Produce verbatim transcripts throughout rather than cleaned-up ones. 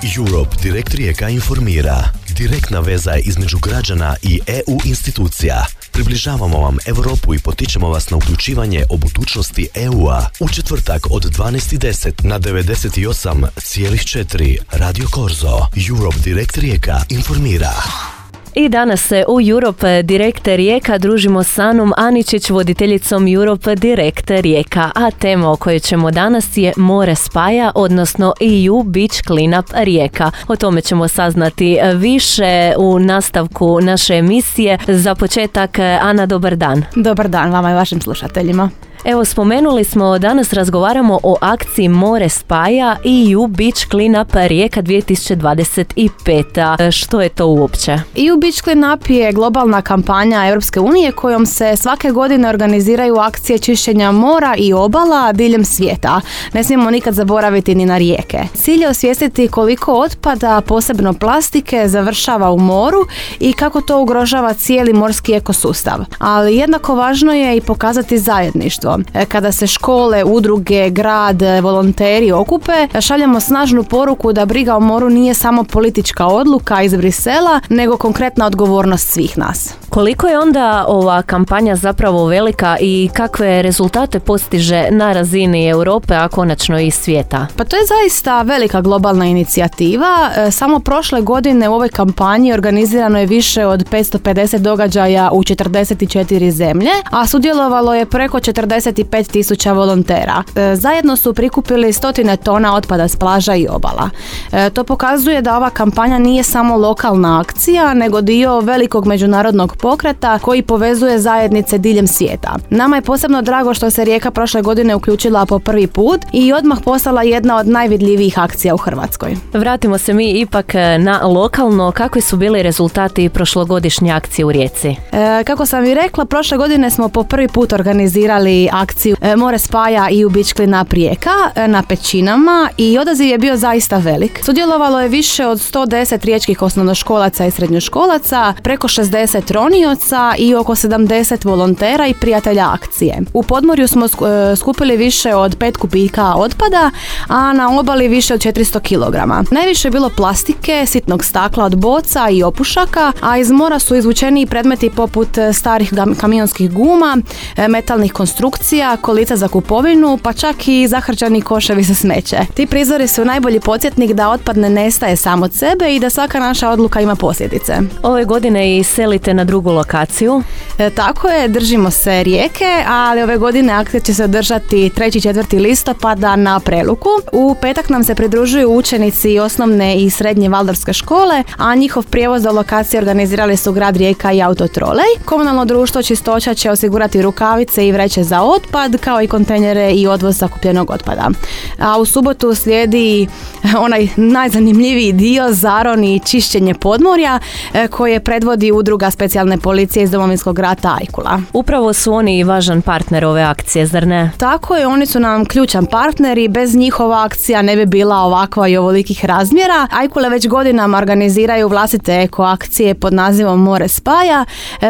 Europe Direct Rijeka informira. Direktna veza između građana i E U institucija. Približavamo vam Europu i potičemo vas na uključivanje o budućnosti E U-a. U četvrtak od dvanaest i deset na devedeset osam zarez četiri Radio Korzo. Europe Direct Rijeka informira. I danas se u Europe Direct Rijeka družimo s Anom Aničić, voditeljicom Europe Direct Rijeka, a tema o kojoj ćemo danas je More spaja, odnosno E U Beach Cleanup Rijeka. O tome ćemo saznati više u nastavku naše emisije. Za početak, Ana, dobar dan. Dobar dan vama i vašim slušateljima. Evo, spomenuli smo, danas razgovaramo o akciji More spaja E U Beach Cleanup Rijeka dvije tisuće dvadeset pet. Što je to uopće? E U Beach Cleanup je globalna kampanja Europske unije kojom se svake godine organiziraju akcije čišćenja mora i obala diljem svijeta. Ne smijemo nikad zaboraviti ni na rijeke. Cilj je osvijestiti koliko otpada, posebno plastike, završava u moru i kako to ugrožava cijeli morski ekosustav. Ali jednako važno je i pokazati zajedništvo. Kada se škole, udruge, grad, volonteri okupe, šaljemo snažnu poruku da briga o moru nije samo politička odluka iz Brisela, nego konkretna odgovornost svih nas. Koliko je onda ova kampanja zapravo velika i kakve rezultate postiže na razini Europe, a konačno i svijeta? Pa to je zaista velika globalna inicijativa. Samo prošle godine u ovoj kampanji organizirano je više od petsto pedeset događaja u četrdeset četiri zemlje, a sudjelovalo je preko četrdeset pet tisuća volontera. Zajedno su prikupili stotine tona otpada s plaža i obala. To pokazuje da ova kampanja nije samo lokalna akcija, nego dio velikog međunarodnog pokreta koji povezuje zajednice diljem svijeta. Nama je posebno drago što se Rijeka prošle godine uključila po prvi put i odmah postala jedna od najvidljivijih akcija u Hrvatskoj. Vratimo se mi ipak na lokalno. Kakvi su bili rezultati prošlogodišnje akcije u Rijeci? E, kako sam i rekla, prošle godine smo po prvi put organizirali akciju More spaja E U Beach Cleanup Rijeka na Pećinama i odaziv je bio zaista velik. Sudjelovalo je više od sto deset riječkih osnovnoškolaca i srednjoškolaca, preko šezdeset ronioca i oko sedamdeset volontera i prijatelja akcije. U podmorju smo skupili više od pet kubika otpada, a na obali više od četiristo kilograma. Najviše je bilo plastike, sitnog stakla od boca i opušaka, a iz mora su izvučeni predmeti poput starih kamionskih guma, metalnih konstrukcija, kolica za kupovinu, pa čak i zahrčani koševi za smeće. Ti prizori su najbolji podsjetnik da otpad ne nestaje sam od sebe i da svaka naša odluka ima posljedice. Ove godine i selite na drugu lokaciju. E, tako je, držimo se Rijeke, ali ove godine akcija će se održati trećeg i četvrtog listopada na Preluku. U petak nam se pridružuju učenici osnovne i srednje Valdorfske škole, a njihov prijevoz do lokacije organizirali su grad Rijeka i Autotrolej. Komunalno društvo Čistoća će osigurati rukavice i vreće za otpad, kao i kontejnere i odvoz sakupljenog otpada. A u subotu slijedi onaj najzanimljiviji dio, zaron i čišćenje podmorja, koje predvodi udruga specijalne policije iz Domovinskog rata Ajkula. Upravo su oni i važan partner ove akcije, zar ne? Tako je, oni su nam ključan partner i bez njihova akcija ne bi bila ovakva i ovolikih razmjera. Ajkule već godinama organiziraju vlastite eko akcije pod nazivom More spaja,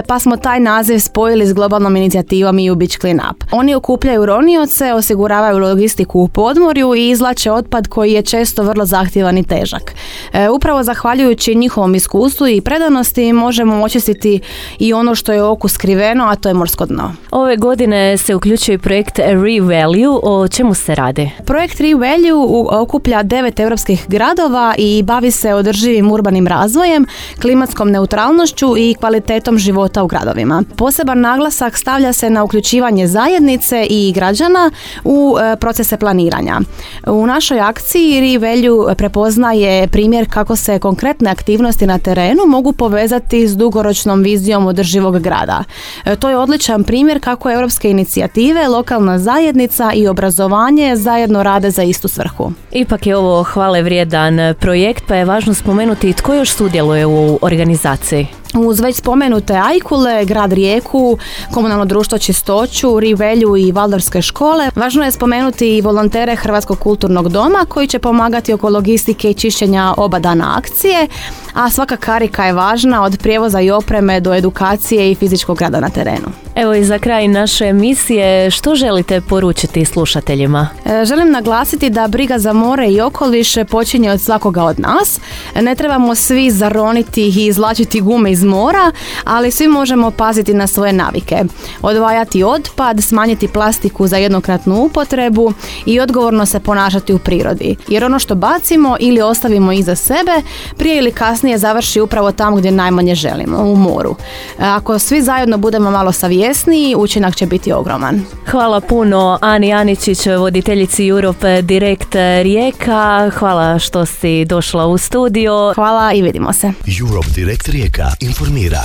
pa smo taj naziv spojili s globalnom inicijativom E U Beach Cleanup. Oni okupljaju ronioce, osiguravaju logistiku u podmorju i izvlače otpad koji je često vrlo zahtjevan i težak. E, upravo zahvaljujući njihovom iskustvu i predanosti možemo očistiti i ono što je oku skriveno, a to je morsko dno. Ove godine se uključuje projekt ReValue. O čemu se radi? Projekt ReValue okuplja devet europskih gradova i bavi se održivim urbanim razvojem, klimatskom neutralnošću i kvalitetom života u gradovima. Poseban naglasak stavlja se na uključivanje zajednice i građana u procese planiranja. U našoj akciji ReValue prepoznaje primjer kako se konkretne aktivnosti na terenu mogu povezati s dugoročnom vizijom održivog grada. To je odličan primjer kako europske inicijative, lokalna zajednica i obrazovanje zajedno rade za istu svrhu. Ipak je ovo hvale vrijedan projekt, pa je važno spomenuti tko još sudjeluje u organizaciji. Uz već spomenute Ajkule, grad Rijeku, komunalno društvo Čistoću, Rivelju i Valdorske škole, važno je spomenuti i volontere Hrvatskog kulturnog doma koji će pomagati oko logistike i čišćenja oba dana akcije, a svaka karika je važna od prijevoza i opreme do edukacije i fizičkog rada na terenu. Evo i za kraj naše emisije, što želite poručiti slušateljima? E, želim naglasiti da briga za more i okoliš počinje od svakoga od nas. Ne trebamo svi zaroniti i izvlačiti gume iz mora, ali svi možemo paziti na svoje navike. Odvajati otpad, smanjiti plastiku za jednokratnu upotrebu i odgovorno se ponašati u prirodi. Jer ono što bacimo ili ostavimo iza sebe, prije ili kasnije završi upravo tamo gdje najmanje želimo, u moru. Ako svi zajedno budemo malo savjesniji, učinak će biti ogroman. Hvala puno Ani Aničić, voditeljici Europe Direct Rijeka. Hvala što si došla u studio. Hvala i vidimo se. Europe Direct Rijeka informira.